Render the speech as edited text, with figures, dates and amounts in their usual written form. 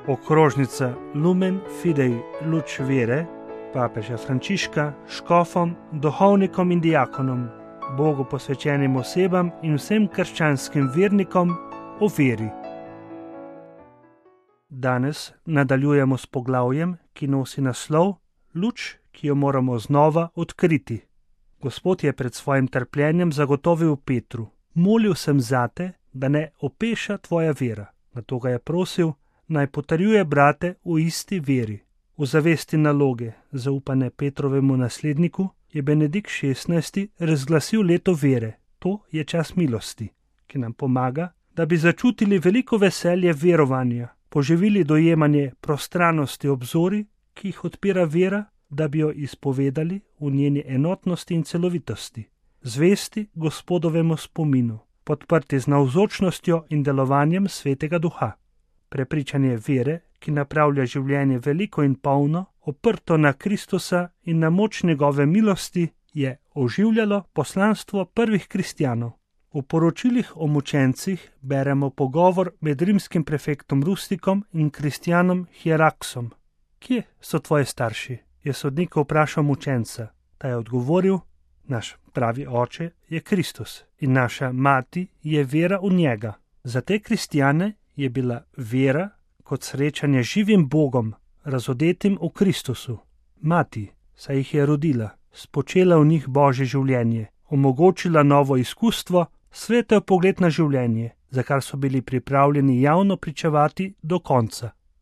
okrožnica Lumen Fidei Luč Vere, papeža Frančiška, škofom, duhovnikom in diakonom, Bogu posvečenim osebam in vsem krščanskim vernikom o veri. Danes nadaljujemo s poglavjem, ki nosi naslov Luč, ki jo moramo znova odkriti. Gospod je pred svojim trpljenjem zagotovil Petru: molil sem zate, da ne opeša tvoja vera. Nato ga je prosil, naj potrjuje brate v isti veri. V zavesti naloge, zaupane Petrovemu nasledniku, je Benedikt XVI. Razglasil leto vere. To je čas milosti, ki nam pomaga, da bi začutili veliko veselje verovanja, poživili dojemanje prostranosti obzori, ki jih odpira vera, da bi jo izpovedali v njeni enotnosti in celovitosti, zvesti Gospodovemu spominu, podprti z navzočnostjo in delovanjem Svetega Duha. Prepričanje vere, ki napravlja življenje veliko in polno, oprto na Kristusa in na moč njegove milosti, je oživljalo poslanstvo prvih kristjanov. V poročilih o mučencih beremo pogovor med rimskim prefektom Rustikom in kristjanom Hieraksom. Kje so tvoji starši? Je sodnik vprašal mučenca. Ta je odgovoril: naš pravi oče je Kristus in naša mati je vera v njega. Za te kristjane je bila vera kot srečanje z živim Bogom, razodetim v Kristusu. Mati, saj jih je rodila, spočela v njih Božje življenje, omogočila novo izkustvo, svetel pogled na življenje, za kar so bili pripravljeni javno pričevati do konca.